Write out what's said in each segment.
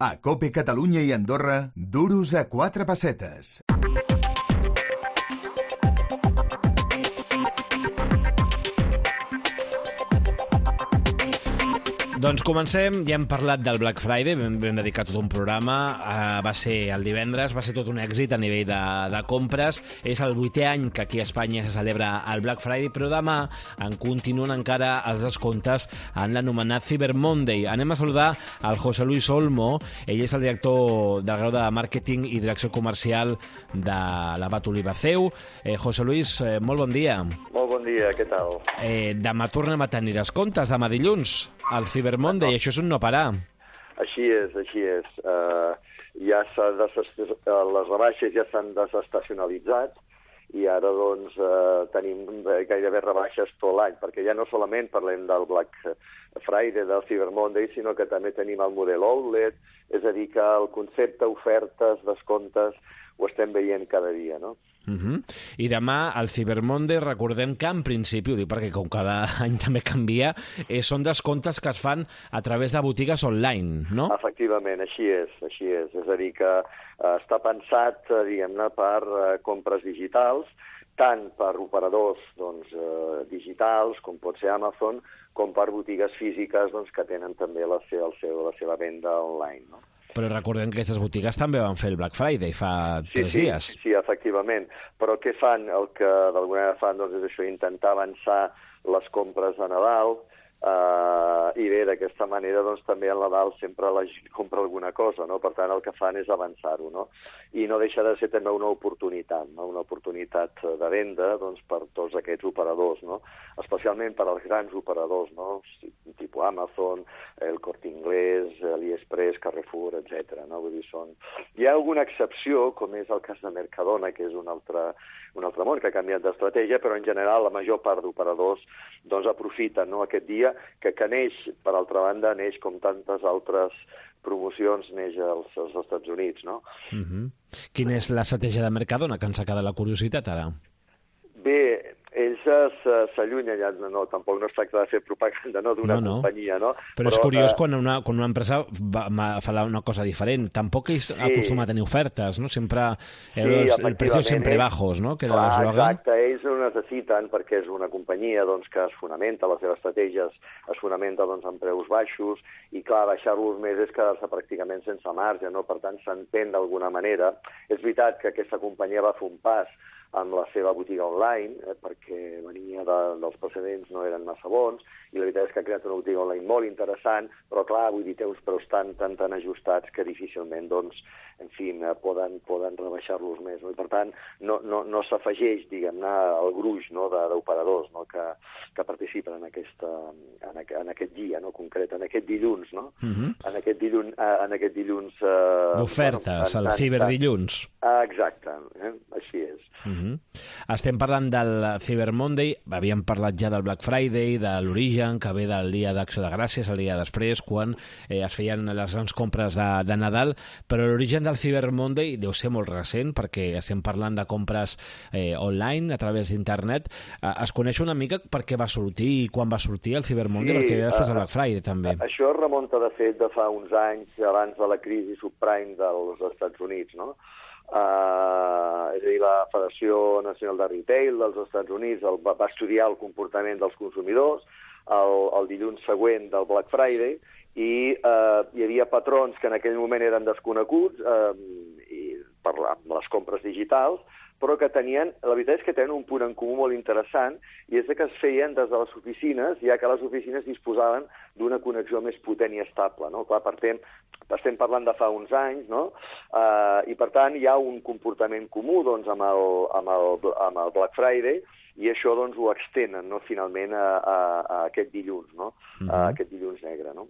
A COPE Catalunya i Andorra, duros a 4 pessetes. Doncs comencem, ja hem parlat del Black Friday, vam dedicar tot un programa, va ser el divendres, va ser tot un èxit a nivell de compres, és el 8è any que aquí a Espanya se celebra el Black Friday, però demà en continuen encara els descomptes en l'anomenat Cyber Monday. Anem a saludar al José Luis Olmo, ell és el director del grau de Màrqueting i Direcció Comercial de l'Abat Oliva CEU. José Luis, molt bon dia. Molt bon dia, què tal? Demà tornem a tenir descomptes, demà dilluns, al Cyber Monday, això és un no parar. Així és. Les rebaixes ja s'han desestacionalitzat i ara doncs tenim gairebé rebaixes tot l'any, perquè ja no solament parlem del Black Friday, del Cyber Monday, sinó que també tenim el model outlet, és a dir, que el concepte ofertes, descomptes, ho estem veient cada dia, no? I demà, el Cyber Monday, recordem que en principi, ho dic perquè com cada any també canvia, són descomptes que es fan a través de botigues online, no? Efectivament, així és. És a dir, que està pensat, diguem-ne, per compres digitals, tant per operadors digitals, com pot ser Amazon, com per botigues físiques que tenen també la seva venda online, no? Però recordem que aquestes botigues també van fer el Black Friday fa 3 dies. Sí, efectivament. Però què fan? El que d'alguna manera fan és això, intentar avançar les compres de Nadal, i bé, d'aquesta manera també al Nadal sempre la gent compra alguna cosa, no? Per tant, el que fan és avançar-ho, no? I no deixa de ser també una oportunitat, no? Una oportunitat de venda per tots aquests operadors, no? Especialment per als grans operadors, no? Tipus Amazon, el Corte Inglés, AliExpress, Carrefour, etc. No? Vull dir, hi ha alguna excepció, com és el cas de Mercadona, que és un altre món que ha canviat d'estratègia, però en general la major part d'operadors aprofiten, no, aquest dia que neix, per altra banda, neix com tantes altres promocions, neix als Estats Units, no? Quina és l'estratègia de Mercadona, que ens ha quedat la curiositat ara? Bé, ells s'allunyen, tampoc no es tracta de fer propaganda d'una companyia, no? Però és curiós quan una empresa fa una cosa diferent. Tampoc ells acostumen a tenir ofertes, no? Sempre el precio sempre bajos, no? Exacte, ells ho necessiten perquè és una companyia que es fonamenta, les seves estratègies es fonamenta en preus baixos i, clar, baixar-los més és quedar-se pràcticament sense marge, no? Per tant, s'entén d'alguna manera. És veritat que aquesta companyia va fer un pas amb la seva botiga online, perquè venia dels precedents, no eren massa bons, i la veritat és que ha creat una botiga online molt interessant, però clar, vull dir, té uns preus tan ajustats que difícilment, en fi, poden rebaixar-los més, no? I per tant, no s'afegeix, diguem-ne, el gruix d'operadors que participen en aquest dia, no? Concret, en aquest dilluns, no? En aquest dilluns... d'ofertes, el ciberdilluns. Exacte, així és. Estem parlant del Cyber Monday, havíem parlat ja del Black Friday, de l'origen, que ve del dia d'Acció de Gràcies, el dia després, quan es feien les grans compres de Nadal, però l'origen del Cyber Monday deu ser molt recent, perquè estem parlant de compres online, a través d'internet. Es coneix una mica per què va sortir i quan va sortir el Cyber Monday, perquè ve després del Black Friday, també. Això remunta, de fet, de fa uns anys, abans de la crisi subprime dels Estats Units, no? És a dir, la Federació Nacional de Retail dels Estats Units va estudiar el comportament dels consumidors el dilluns següent del Black Friday i hi havia patrons que en aquell moment eren desconeguts per les compres digitals, però que la veritat és que tenen un punt en comú molt interessant, i és que es feien des de les oficines, ja que les oficines disposaven d'una connexió més potent i estable, no? Clar, estem parlant de fa uns anys, no? I per tant hi ha un comportament comú amb el Black Friday, i això ho extenen, no? Finalment a aquest dilluns, no? A aquest dilluns negre, no?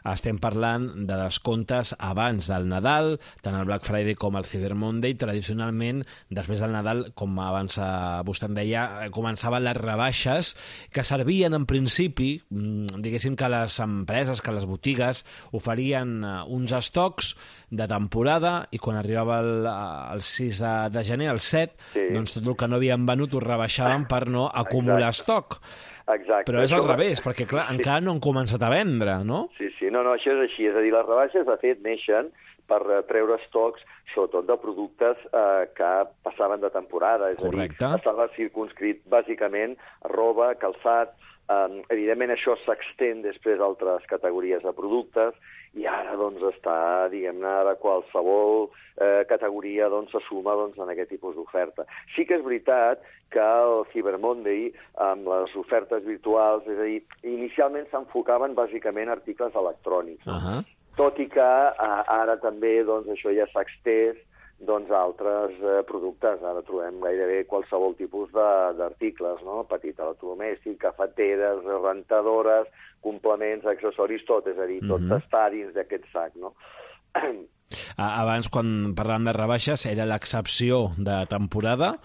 Estem parlant de descomptes abans del Nadal, tant el Black Friday com el Cyber Monday. Tradicionalment, després del Nadal, com abans vostè em deia, començaven les rebaixes que servien en principi, diguéssim que les empreses, que les botigues oferien uns estocs de temporada i quan arribava el 6 de gener, el 7, doncs tot el que no havien venut ho rebaixaven per no acumular estoc. Exacte. Però és al revés, perquè clar, encara no han començat a vendre, no? Sí, no, això és així. És a dir, les rebaixes, de fet, neixen per treure estocs, sobretot de productes que passaven de temporada. És Correcte. a dir, estava circunscrit bàsicament roba, calçat. Evidentment, això s'extén després a altres categories de productes i ara doncs està, diguem-ne, ara qualsevol categoria doncs se suma doncs, en aquest tipus d'oferta. Sí que és veritat que el Cyber Monday, amb les ofertes virtuals, és a dir, inicialment s'enfocaven bàsicament a articles electrònics, no? Tot i que ara també doncs, això ja s'ha extès doncs, a altres productes. Ara trobem gairebé qualsevol tipus d'articles, no? Petit electrodomèstic, cafeteres, rentadores, complements, accessoris, tot, és a dir, tot està dins d'aquest sac, no? Abans, quan parlàvem de rebaixes, era l'excepció de temporada,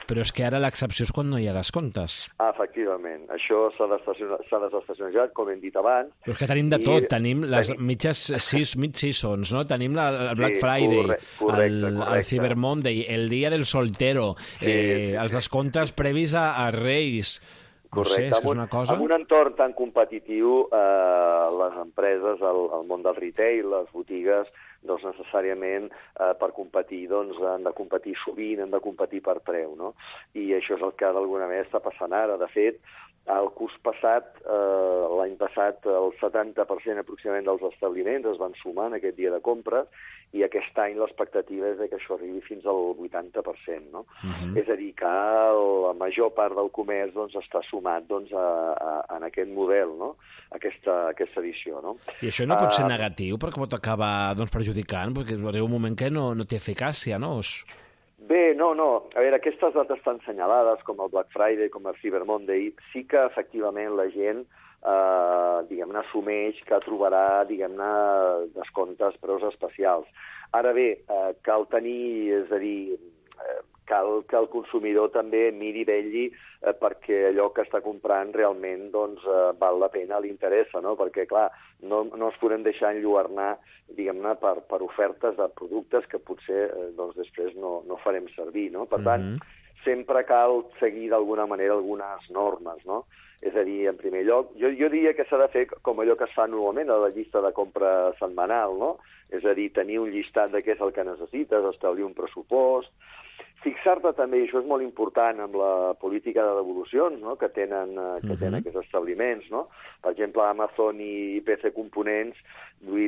però és que ara l'excepció és quan no hi ha descomptes. Efectivament. Això s'ha desestacionat, com hem dit abans. Però és que tenim de tot. Tenim les mitges mid-seasons, no? Tenim el Black Friday, el Cyber Monday, el dia del soltero, els descomptes previs a Reis. Correcte. No sé, és una cosa... En un entorn tan competitiu, les empreses, el món del retail, les botigues, doncs necessàriament per competir doncs, han de competir sovint, han de competir per preu, no? I això és el que d'alguna manera està passant ara. De fet, el curs passat, l'any passat, el 70% aproximadament dels establiments es van sumar en aquest dia de compres i aquest any l'expectativa és que això arribi fins al 80%, no? És a dir, que la major part del comerç doncs, està sumat doncs, en aquest model, no? Aquesta edició, no? I això no pot ser negatiu perquè pot acabar doncs, perjudicant, perquè arriba un moment que no té eficàcia, no? Bé, no. A veure, aquestes dates tan senyalades, com el Black Friday, com el Cyber Monday, sí que efectivament la gent diguem-ne, assumeix que trobarà, diguem-ne, descomptes, preus especials. Ara bé, cal tenir, és a dir, cal que el consumidor també miri i vetlli perquè allò que està comprant realment doncs, val la pena, li interessa, no? Perquè, clar, no ens podem deixar enlluernar, diguem-ne, per ofertes de productes que potser doncs, després no farem servir, no? Per tant, sempre cal seguir d'alguna manera algunes normes, no? És a dir, en primer lloc, jo diria que s'ha de fer com allò que es fa normalment a la llista de compra setmanal, no? És a dir, tenir un llistat de què és el que necessites, establir un pressupost, fixar-te també, i això és molt important amb la política de devolucions, no? que tenen aquests establiments, no? Per exemple, Amazon i PC Components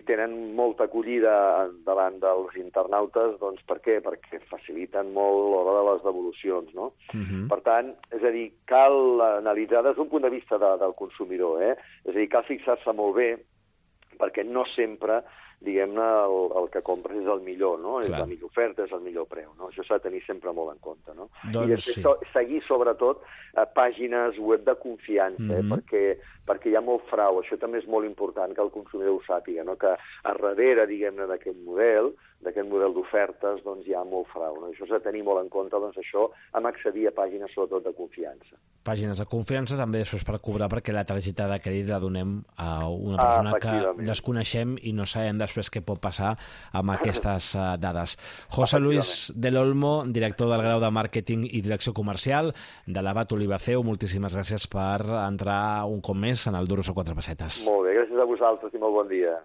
tenen molta acollida davant dels internautes, doncs per què? Perquè faciliten molt l'hora de les devolucions, no? Per tant, és a dir, cal analitzar des d'un punt de vista del consumidor, és a dir, cal fixar-se molt bé perquè no sempre diguem-ne, el que compres és el millor, no? És la millor oferta, és el millor preu, no? Això s'ha de tenir sempre molt en compte, no? Doncs i després seguir, sobretot, pàgines web de confiança, perquè hi ha molt frau. Això també és molt important que el consumidor ho sàpiga, no? Que a darrere, diguem-ne, d'aquest model d'ofertes, doncs hi ha molt frau, no? Això s'ha de tenir molt en compte, doncs això, amb accedir a pàgines, sobretot, de confiança. Pàgines de confiança també després per cobrar, perquè la targeta de crèdit la donem a una persona que desconeixem i no sabem després què pot passar amb aquestes dades. José Luis del Olmo, director del grau de Màrqueting i Direcció Comercial de l'Abat Olivaceu, moltíssimes gràcies per entrar un cop més en el Duros a 4 pessetes. Molt bé, gràcies a vosaltres i molt bon dia.